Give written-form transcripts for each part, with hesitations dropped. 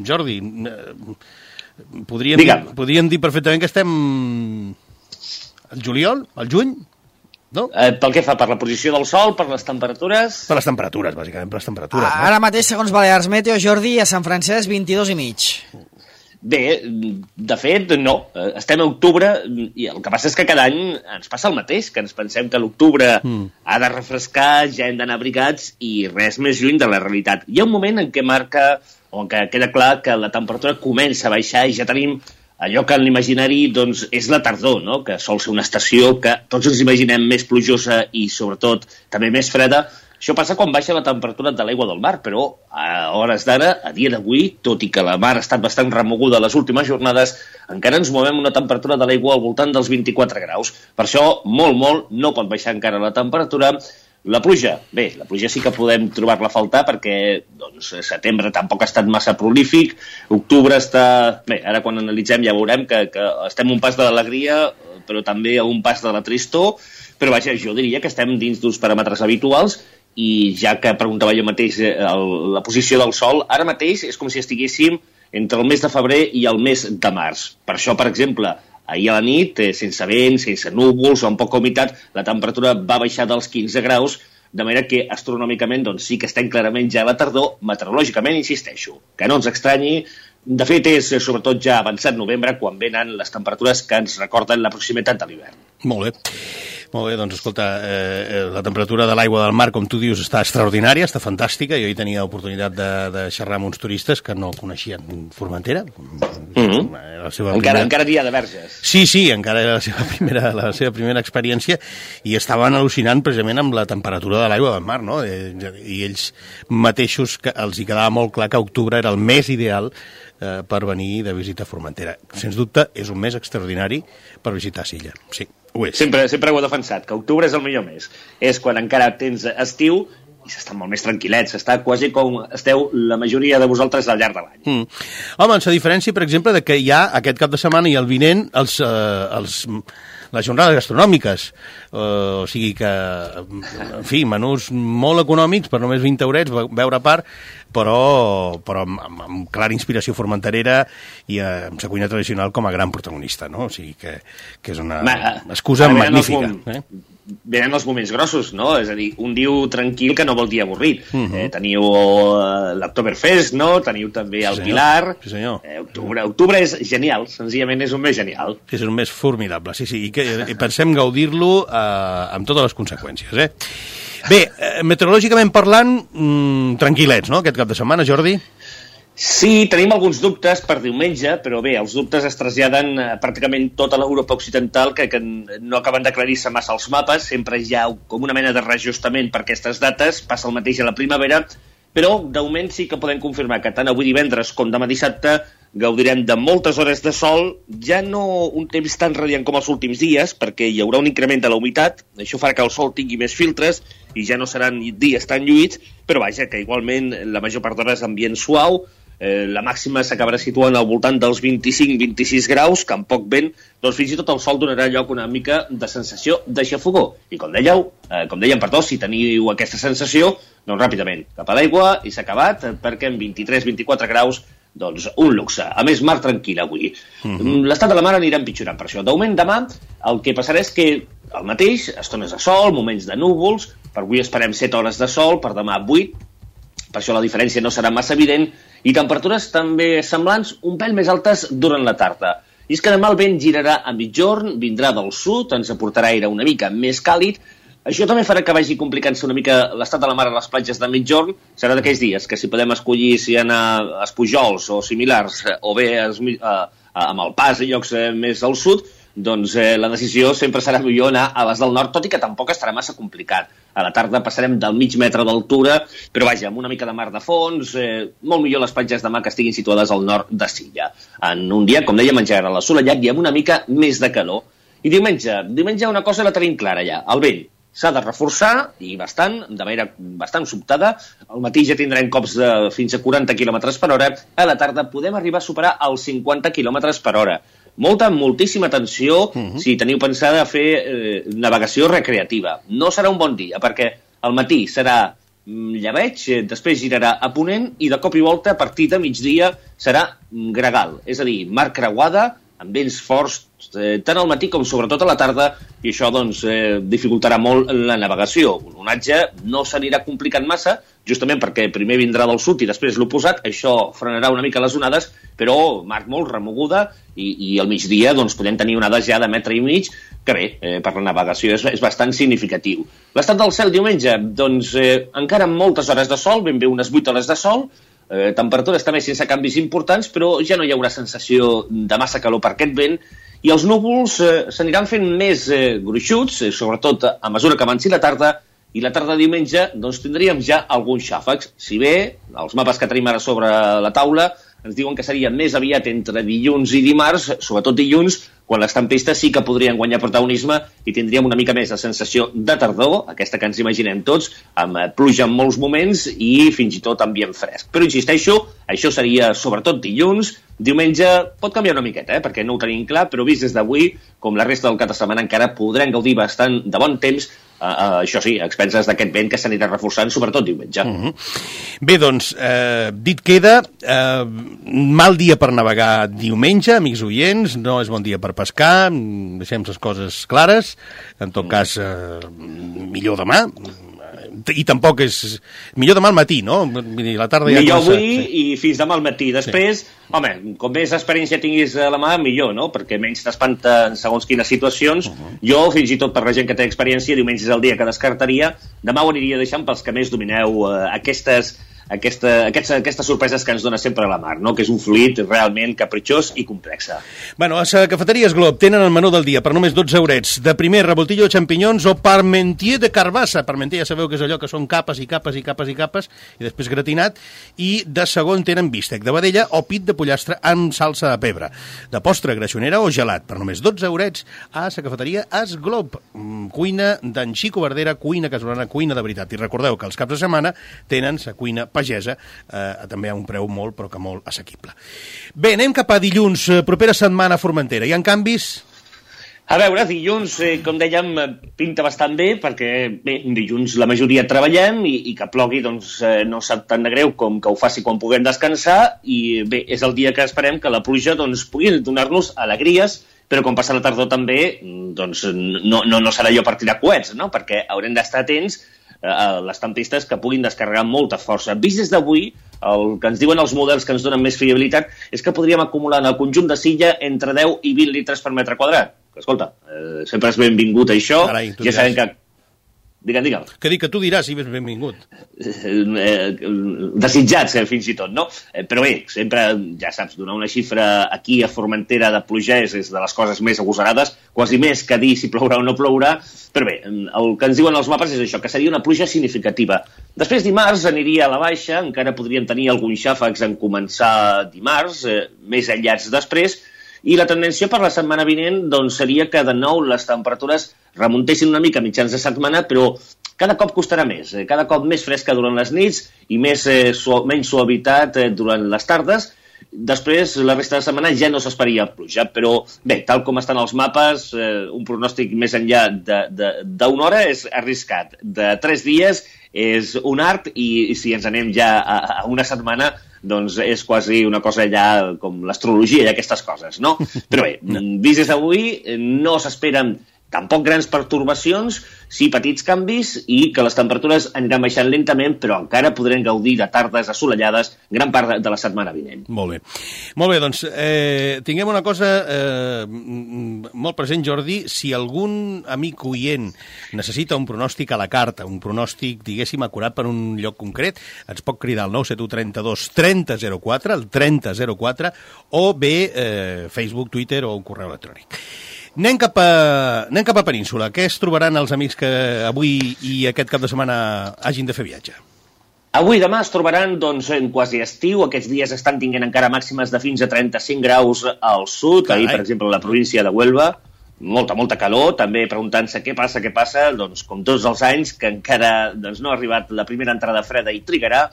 Jordi, podríem dir perfectament que estem al juliol, al juny, no? Pel que fa? Per la posició del sol, per les temperatures? Per les temperatures, bàsicament, per les temperatures. Ara mateix, segons Balears Meteo, Jordi, a Sant Francesc, 22,5. Bé, de fet, no. Estem a octubre i el que passa és que cada any ens passa el mateix, que ens pensem que l'octubre ha de refrescar, ja hem d'anar abrigats i res més lluny de la realitat. Hi ha un moment en què marca, o en què queda clar que la temperatura comença a baixar i ja tenim allò que en l'imaginari doncs, és la tardor, no? Que sol ser una estació que tots ens imaginem més plujosa i, sobretot, també més freda. Això passa quan baixa la temperatura de l'aigua del mar, però a hores d'ara, a dia d'avui, tot i que la mar ha estat bastant remoguda les últimes jornades, encara ens movem una temperatura de l'aigua al voltant dels 24 graus. Per això, molt, no pot baixar encara la temperatura. La pluja, bé, la pluja sí que podem trobar-la a faltar perquè doncs, setembre tampoc ha estat massa prolífic, octubre està... Bé, ara quan analitzem ja veurem que estem a un pas de l'alegria, però també a un pas de la tristor, però vaja, jo diria que estem dins d'uns paràmetres habituals i ja que preguntava jo mateix la posició del sol, ara mateix és com si estiguéssim entre el mes de febrer i el mes de març. Per això, per exemple, ahir a la nit, sense vent, sense núvols o amb poca humitat, la temperatura va baixar dels 15 graus, de manera que astronòmicament doncs, sí que estem clarament ja a la tardor, meteorològicament, insisteixo, que no ens estranyi. De fet, és sobretot ja avançat novembre quan venen les temperatures que ens recorden la proximitat de l'hivern. Molt bé. Molt bé, doncs escolta, la temperatura de l'aigua del mar, com tu dius, està extraordinària, està fantàstica. Jo hi tenia l'oportunitat de xerrar amb uns turistes que no coneixien Formentera. Encara dia de verges. Sí, encara era la seva primera experiència i estaven al·lucinant precisament amb la temperatura de l'aigua del mar, no? I ells mateixos, els hi quedava molt clar que octubre era el mes ideal per venir de visita a Formentera. Sens dubte, és un mes extraordinari per visitar Silla, sí. Sempre ho he defensat, que octubre és el millor mes. És quan encara tens estiu i s'estan molt més tranquil·lets. Està quasi com esteu la majoria de vosaltres al llarg de l'any. Home, a diferència, per exemple, de que hi ha aquest cap de setmana i el vinent les jornades gastronòmiques. O sigui que, en fi, menús molt econòmics, per només 20 eurets, beure a part, però amb clara inspiració formenterera i amb sa cuina tradicional com a gran protagonista, no? O sigui que és una excusa magnífica. Venen els moments grossos, no? És a dir, un diu tranquil que no vol dir avorrit. Teniu l'Oktoberfest, no? Teniu també el Pilar. Sí, senyor. Octubre és genial, senzillament és un mes genial. És un mes formidable, sí, i pensem gaudir-lo amb totes les conseqüències, Bé, meteorològicament parlant, tranquil·lets, no?, aquest cap de setmana, Jordi? Sí, tenim alguns dubtes per diumenge, però bé, els dubtes es traslladen pràcticament tota l'Europa occidental, que no acaben d'aclarir-se massa els mapes, sempre hi ha com una mena de reajustament per aquestes dates, passa el mateix a la primavera, però de moment sí que podem confirmar que tant avui divendres com demà dissabte gaudirem de moltes hores de sol, ja no un temps tan radiant com els últims dies, perquè hi haurà un increment de la humitat, això farà que el sol tingui més filtres i ja no seran dies tan lluïts, però vaja, que igualment la major part d'hores ambient suau, la màxima s'acabarà situant al voltant dels 25-26 graus, que amb poc vent, doncs fins i tot el sol donarà lloc una mica de sensació de xafogó. I com dèiem, si teniu aquesta sensació, doncs ràpidament, cap a l'aigua i s'ha acabat, perquè en 23-24 graus doncs un luxe. A més, mar tranquil avui. L'estat de la mar anirà empitjorant per això. De moment, demà, el que passarà és que el mateix, estones de sol, moments de núvols, per avui esperem 7 hores de sol, per demà 8, per això la diferència no serà massa evident, i temperatures també semblants, un pèl més altes durant la tarda. I és que demà el vent girarà a mitjorn, vindrà del sud, ens aportarà aire una mica més càlid. Això també farà que vagi complicant-se una mica l'estat de la mar a les platges de mitjorn. Serà d'aquells dies que si podem escollir si anar a Espujols o similars, o bé amb el Pas i llocs més al sud, doncs la decisió sempre serà millor anar a les del nord, tot i que tampoc estarà massa complicat. A la tarda passarem del mig metre d'altura, però vaja, amb una mica de mar de fons, molt millor les platges de mar que estiguin situades al nord de Silla. En un dia, com dèiem, engegarà l'assolellat i amb una mica més de calor. I diumenge una cosa la tenim clara ja, el vent. S'ha de reforçar, i de manera bastant sobtada. Al matí ja tindrem cops de fins a 40 km per hora. A la tarda podem arribar a superar els 50 km per hora. Moltíssima atenció si teniu pensada fer navegació recreativa. No serà un bon dia, perquè al matí serà llebeig, després girarà a ponent i de cop i volta a partir de migdia serà gregal, és a dir, mar creuada, amb vents forts tant al matí com sobretot a la tarda, i això doncs, dificultarà molt la navegació. L'onatge no s'anirà complicant massa, justament perquè primer vindrà del sud i després l'oposat, això frenarà una mica les onades, però mar molt remoguda i al migdia doncs, podem tenir onades ja de 1,5 metres, que bé, per la navegació és bastant significatiu. L'estat del cel diumenge, doncs encara amb moltes hores de sol, ben bé unes 8 hores de sol, temperatures també sense canvis importants, però ja no hi haurà sensació de massa calor per aquest vent, i els núvols s'aniran fent més gruixuts, sobretot a mesura que avanci la tarda, i la tarda de diumenge doncs, tindríem ja alguns xàfecs. Si bé, els mapes que tenim ara sobre la taula ens diuen que seria més aviat entre dilluns i dimarts, sobretot dilluns, quan les tempestes sí que podrien guanyar protagonisme i tindríem una mica més de sensació de tardor, aquesta que ens imaginem tots, amb pluja en molts moments i fins i tot ambient fresc. Però insisteixo, això seria sobretot dilluns. Diumenge pot canviar una miqueta, perquè no ho tenim clar, però vist des d'avui, com la resta del cap de setmana, encara podrem gaudir bastant de bon temps, això sí, a expenses d'aquest vent que s'anirà reforçant, sobretot diumenge. Bé, doncs, dit queda, mal dia per navegar diumenge, amics oients, no és bon dia per pescar, deixem les coses clares, en tot cas, millor demà, i tampoc és... Millor demà al matí, no? La tarda ja millor avui i fins demà al matí. Després, home, com més experiència tinguis a la mà, millor, no? Perquè menys t'espanta en segons quines situacions. Jo, fins i tot per la gent que té experiència, diumenge és el dia que descartaria. Demà ho aniria deixant pels que més domineu aquestes sorpreses que ens dona sempre la mar, no? Que és un fluid realment capritxós i complexa. Bueno, a Cafeteries Glob tenen el menú del dia per només 12 eurets. De primer, revoltillo de xampinyons o parmentier de carbassa. Parmentier ja sabeu que és allò que són capes i capes i capes i capes, i després gratinat. I de segon tenen bístec de vedella o pit de pollastre amb salsa de pebre. De postre, greixonera o gelat. Per només 12 eurets a la Cafeteria Es Glob. Cuina d'en Xico Verdera, cuina casolana, cuina de veritat. I recordeu que els caps de setmana tenen la cuina pagesa, també a un preu molt, però que molt assequible. Bé, anem cap a dilluns, propera setmana a Formentera. Hi ha canvis? A veure, dilluns, com dèiem, pinta bastant bé, perquè bé, dilluns la majoria treballem i que plogui doncs, no sap tan de greu com que ho faci quan puguem descansar, i bé, és el dia que esperem que la pluja doncs, pugui donar-nos alegries, però quan passa la tardor també doncs, no serà allò per tirar coets, no? Perquè haurem d'estar atents a les tempestes que puguin descarregar amb molta força. Vist des d'avui, el que ens diuen els models que ens donen més fiabilitat és que podríem acumular en el conjunt de Silla entre 10 i 20 litres per metre quadrat. Escolta, sempre és benvingut això. Carai, ja sabem que... Digue'm. Que dic que tu diràs si és benvingut. Desitjats, fins i tot, no? Però bé, sempre, ja saps, donar una xifra aquí a Formentera de pluja és de les coses més agosarades, quasi més que dir si plourà o no plourà, però bé, el que ens diuen els mapes és això, que seria una pluja significativa. Després dimarts aniria a la baixa, encara podríem tenir alguns xàfecs en començar dimarts, més aïllats després, i la tendència per la setmana vinent doncs, seria que de nou les temperatures remuntessin una mica a mitjans de setmana, però cada cop costarà més, cada cop més fresca durant les nits i menys suavitat durant les tardes. Després, la resta de setmana ja no s'esperaria pluja, però bé, tal com estan els mapes, un pronòstic més enllà d'una hora és arriscat. De 3 dies és un art i si ens anem ja a una setmana doncs és quasi una cosa ja com l'astrologia i aquestes coses, no? Però bé, vist des d'avui, no s'esperen tampoc grans pertorbacions, sí petits canvis i que les temperatures aniran baixant lentament, però encara podrem gaudir de tardes assolellades gran part de la setmana vinent. Molt bé, doncs tinguem una cosa molt present, Jordi. Si algun amic oient necessita un pronòstic a la carta, un pronòstic, diguéssim, acurat per un lloc concret, ens pot cridar al 971 32 3004, el 3004, o bé Facebook, Twitter o un correu electrònic. Anem cap a Península. Què es trobaran els amics que avui i aquest cap de setmana hagin de fer viatge? Avui i demà es trobaran doncs, en quasi estiu. Aquests dies estan tinguent encara màximes de fins a 35 graus al sud. Ahir, per exemple, a la província de Huelva, molta calor. També preguntant-se què passa, doncs, com tots els anys, que encara doncs, no ha arribat la primera entrada freda i trigarà.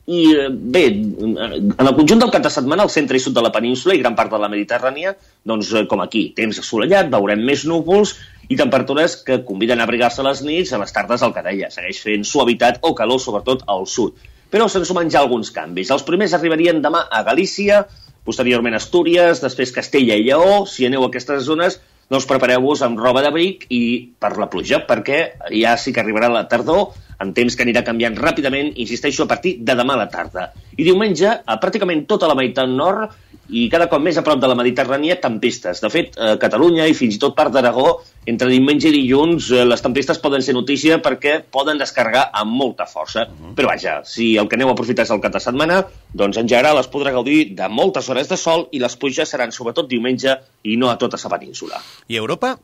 I bé, en el conjunt del cap de setmana, al centre i sud de la península i gran part de la Mediterrània, doncs com aquí, temps assolellat, veurem més núvols i temperatures que conviden a abrigar-se a les nits, a les tardes el que deia, segueix fent suavitat o calor, sobretot al sud. Però se'n sumen ja alguns canvis. Els primers arribarien demà a Galícia, posteriorment Astúries, després Castella i Lleó. Si aneu a aquestes zones, doncs prepareu-vos amb roba d'abric i per la pluja, perquè ja sí que arribarà la tardor, en temps que anirà canviant ràpidament, insisteixo, a partir de demà a la tarda. I diumenge, a pràcticament tota la meitat nord i cada cop més a prop de la Mediterrània, tempestes. De fet, a Catalunya i fins i tot part d'Aragó, entre diumenge i dilluns, les tempestes poden ser notícia perquè poden descarregar amb molta força. Però vaja, si el que aneu a aprofitar és el cap de setmana, doncs en general es podrà gaudir de moltes hores de sol i les pluges seran sobretot diumenge i no a tota la península. I Europa?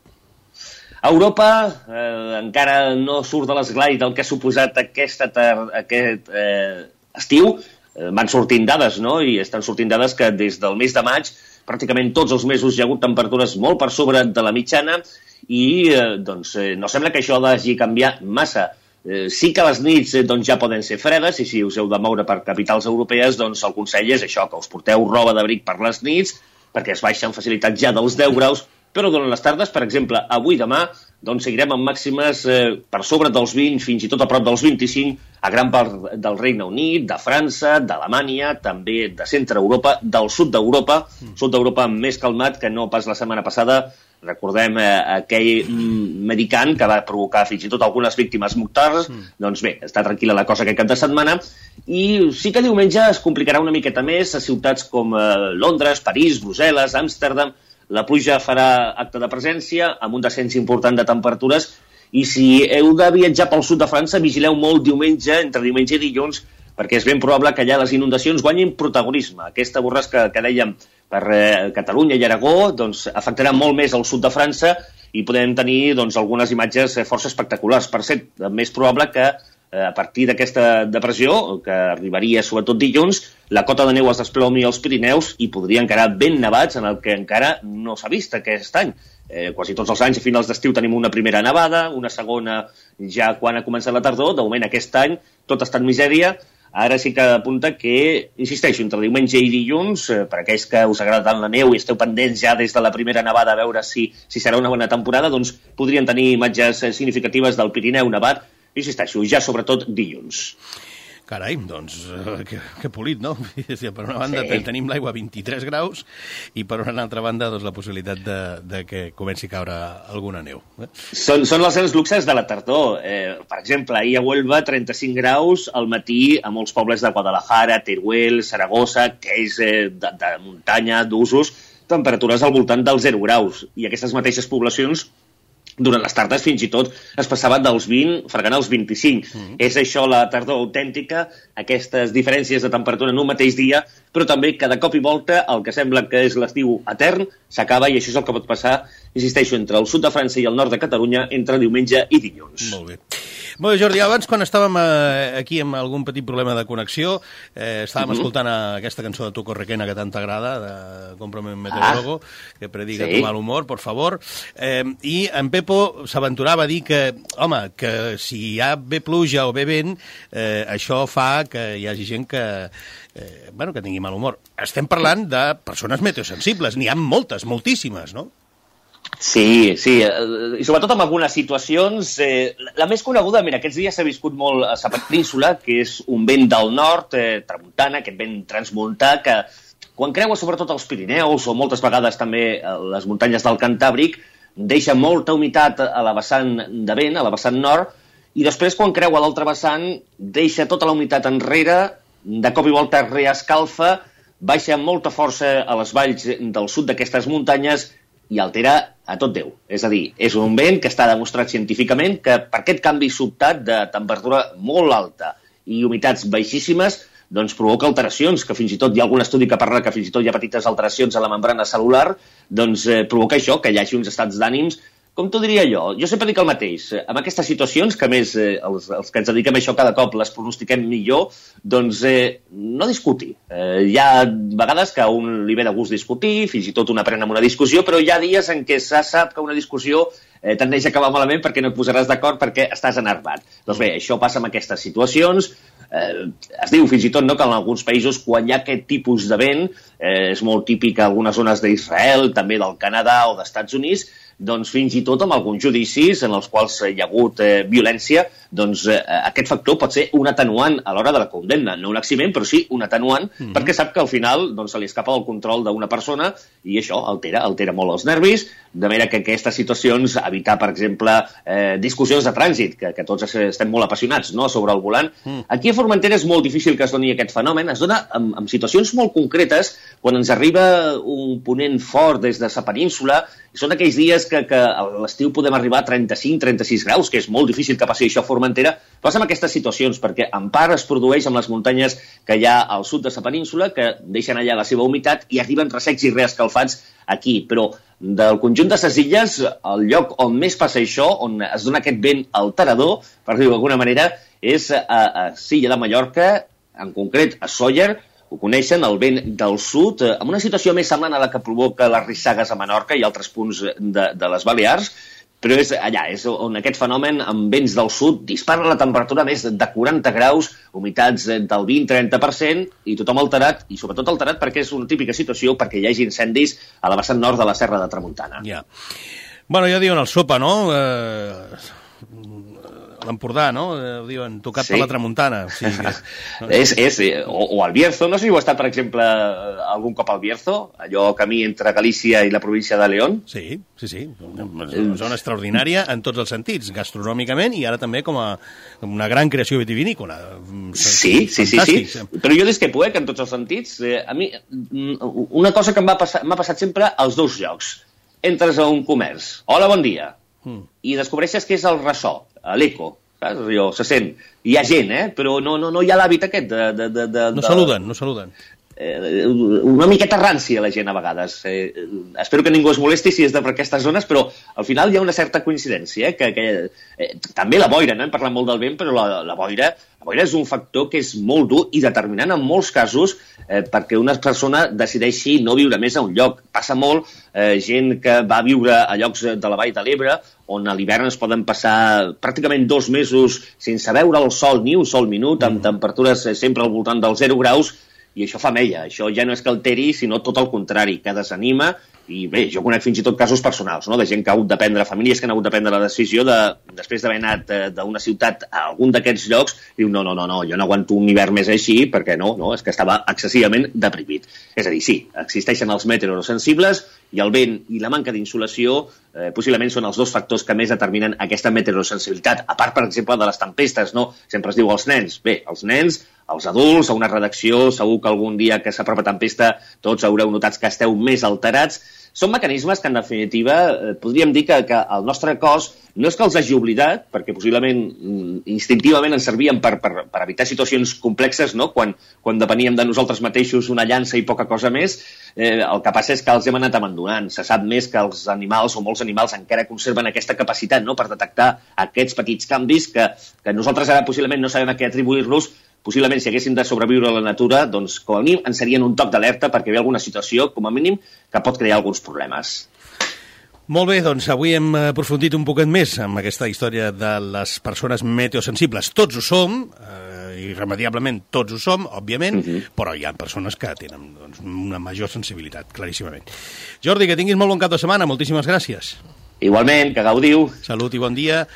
Europa encara no surt de l'esglai del que ha suposat aquest estiu. Van sortint dades, no? I estan sortint dades que des del mes de maig pràcticament tots els mesos hi ha hagut temperatures molt per sobre de la mitjana i no sembla que això hagi canviat massa. Sí que les nits ja poden ser fredes i si us heu de moure per capitals europees, doncs el consell és això, que us porteu roba d'abric per les nits perquè es baixa amb facilitat ja dels 10 graus, però durant les tardes, per exemple, avui i demà, doncs seguirem amb màximes per sobre dels 20, fins i tot a prop dels 25, a gran part del Regne Unit, de França, d'Alemanya, també de centre Europa, del sud d'Europa, sud d'Europa més calmat que no pas la setmana passada. Recordem aquell medicant que va provocar fins i tot algunes víctimes mortals. Doncs bé, està tranquil·la la cosa aquest cap de setmana. I sí que diumenge es complicarà una miqueta més a ciutats com Londres, París, Brussel·les, Amsterdam. La pluja farà acte de presència, amb un descens important de temperatures, i si heu de viatjar pel sud de França, vigileu molt diumenge, entre diumenge i dilluns, perquè és ben probable que allà les inundacions guanyin protagonisme. Aquesta borrasca que dèiem per Catalunya i Aragó doncs, afectarà molt més al sud de França i podem tenir algunes imatges força espectaculars. Per ser més probable que a partir d'aquesta depressió, que arribaria sobretot dilluns, la cota de neu es desplomi als Pirineus i podrien quedar ben nevats en el que encara no s'ha vist aquest any. Quasi tots els anys a finals d'estiu tenim una primera nevada, una segona ja quan ha començat la tardor. De moment aquest any tot ha estat misèria. Ara sí que apunta que, insisteixo, entre diumenge i dilluns, per aquells que us agrada tant la neu i esteu pendents ja des de la primera nevada a veure si serà una bona temporada, doncs podrien tenir imatges significatives del Pirineu nevat, insisteixo, ja sobretot dilluns. Carai, doncs, que polit, no? Per una banda tenim l'aigua a 23 graus i per una altra banda doncs, la possibilitat de que comenci a caure alguna neu. Són els grans luxes de la tardor. Per exemple, ahir a Huelva, 35 graus al matí a molts pobles de Guadalajara, Teruel, Saragossa, que és de muntanya, d'usos, temperatures al voltant dels 0 graus. I aquestes mateixes poblacions durant les tardes fins i tot es passaven dels 20 fregant als 25. És això la tardor autèntica, aquestes diferències de temperatura en un mateix dia, però també que de cop i volta el que sembla que és l'estiu etern s'acaba i això és el que pot passar, insisteixo, entre el sud de França i el nord de Catalunya entre diumenge i dilluns. Molt bé. Molt bé, Jordi, abans quan estàvem aquí amb algun petit problema de connexió, estàvem escoltant aquesta cançó de Tuco Requena que tant t'agrada, de Cómprame un meteorólogo, que predica tu mal humor, por favor, i en Pepo s'aventurava a dir que, home, que si hi ha bé pluja o bé vent, això fa que hi hagi gent que tingui mal humor. Estem parlant de persones meteosensibles, n'hi ha moltes, moltíssimes, no? Sí, i sobretot en algunes situacions. La més coneguda, mira, aquests dies s'ha viscut molt a la península, que és un vent del nord, tramuntana, aquest vent transmontà, que quan creua sobretot els Pirineus o moltes vegades també les muntanyes del Cantàbric, deixa molta humitat a la vessant de vent, a la vessant nord, i després quan creua l'altra vessant deixa tota la humitat enrere, de cop i volta reescalfa, baixa amb molta força a les valls del sud d'aquestes muntanyes i altera a tot Déu. És a dir, és un vent que està demostrat científicament que per aquest canvi sobtat de temperatura molt alta i humitats baixíssimes doncs provoca alteracions, que fins i tot hi ha algun estudi que parla que fins i tot hi ha petites alteracions a la membrana cel·lular, doncs provoca això, que hi hagi uns estats d'ànims, com t'ho diria jo? Jo sempre dic el mateix. En aquestes situacions, que a més els que ens dediquem a això cada cop les pronostiquem millor, doncs no discutir. Hi ha vegades que a un li ve de gust discutir, fins i tot un aprèn amb una discussió, però hi ha dies en què se sap que una discussió tendeix a acabar malament perquè no et posaràs d'acord perquè estàs enervat. Doncs bé, això passa en aquestes situacions. Es diu fins i tot que en alguns països quan hi ha aquest tipus de vent, és molt típic a algunes zones d'Israel, també del Canadà o d'Estats Units, doncs fins i tot amb alguns judicis en els quals hi ha hagut violència, doncs aquest factor pot ser un atenuant a l'hora de la condemna. No un eximent, però sí un atenuant, perquè sap que al final doncs, se li escapa el control d'una persona i això altera molt els nervis, de manera que aquestes situacions, evitar, per exemple, discussions de trànsit, que tots estem molt apassionats, no?, sobre el volant. Aquí a Formentera és molt difícil que es doni aquest fenomen. Es dona en situacions molt concretes, quan ens arriba un ponent fort des de sa península, i són aquells dies que a l'estiu podem arribar a 35-36 graus, que és molt difícil que passi això a Formentera. Passa en aquestes situacions, perquè en part es produeix amb les muntanyes que hi ha al sud de sa península, que deixen allà la seva humitat i arriben ressecs i reescalfats aquí. Però del conjunt de ses illes, el lloc on més passa això, on es dona aquest vent alterador, per dir-ho d'alguna manera, és a Silla de Mallorca, en concret a Sóller. Ho coneixen, el vent del sud, amb una situació més semblant a la que provoca les rissagues a Menorca i altres punts de les Balears, però és allà, és on aquest fenomen amb vents del sud dispara la temperatura més de 40 graus, humitats del 20-30%, i tothom alterat, i sobretot alterat perquè és una típica situació perquè hi hagi incendis a la vessant nord de la Serra de Tramuntana. Ja. Bueno, ja diuen el sopa, no? L'Empordà, no? Ho diuen, tocat per la tramuntana. O sigui que... o al Bierzo, no sé si heu estat, per exemple, algun cop al Bierzo, allò camí entre Galícia i la província de León. Sí. Una zona extraordinària en tots els sentits, gastronòmicament i ara també com a una gran creació vitivinícola. Sí. Però jo discrepo, que en tots els sentits, a mi, una cosa que m'ha passat sempre als dos llocs. Entres a un comerç, hola, bon dia, i descobreixes que és el ressò, l'eco, allò se sent. Hi ha gent, però no hi ha l'hàbit aquest de... No saluden. Una miqueta rància la gent a vegades. Espero que ningú es molesti si és per aquestes zones, però al final hi ha una certa coincidència, també la boira, no hem parlat molt del vent, però la boira és un factor que és molt dur i determinant en molts casos perquè una persona decideixi no viure més a un lloc. Passa molt gent que va viure a llocs de la Vall de l'Ebre on a l'hivern es poden passar pràcticament 2 mesos sense veure el sol ni un sol minut, amb temperatures sempre al voltant dels 0 graus, i això fa mella. Això ja no és que alteri, sinó tot el contrari, que desanima. I bé, jo conec fins i tot casos personals, no?, de gent que ha hagut de prendre, famílies que han hagut de prendre la decisió després d'haver anat d'una ciutat a algun d'aquests llocs, diu, no, jo no aguanto un hivern més així, perquè no, és que estava excessivament deprimit. És a dir, sí, existeixen els meteorosensibles i el vent i la manca d'insolació possiblement són els dos factors que més determinen aquesta meteorosensibilitat. A part, per exemple, de les tempestes, no? Sempre es diu els nens. Bé, els nens, els adults, a una redacció, segur que algun dia que s'apropa tempesta tots haureu notat que esteu més alterats. Són mecanismes que, en definitiva, podríem dir que el nostre cos no és que els hagi oblidat, perquè possiblement instintivament ens servien per evitar situacions complexes, no?, quan depeníem de nosaltres mateixos una llança i poca cosa més. El que passa és que els hem anat abandonant. Se sap més que els animals, o molts animals, encara conserven aquesta capacitat, no?, per detectar aquests petits canvis que nosaltres ara possiblement no sabem a què atribuir-los. Possiblement, si haguéssim de sobreviure a la natura, doncs, com a mínim, ens serien un toc d'alerta perquè hi ha alguna situació, com a mínim, que pot crear alguns problemes. Molt bé, doncs avui hem aprofundit un poquet més amb aquesta història de les persones meteosensibles. Tots ho som, irremediablement tots ho som, òbviament, però hi ha persones que tenen una major sensibilitat, claríssimament. Jordi, que tinguis molt bon cap de setmana, moltíssimes gràcies. Igualment, que gaudiu. Salut i bon dia.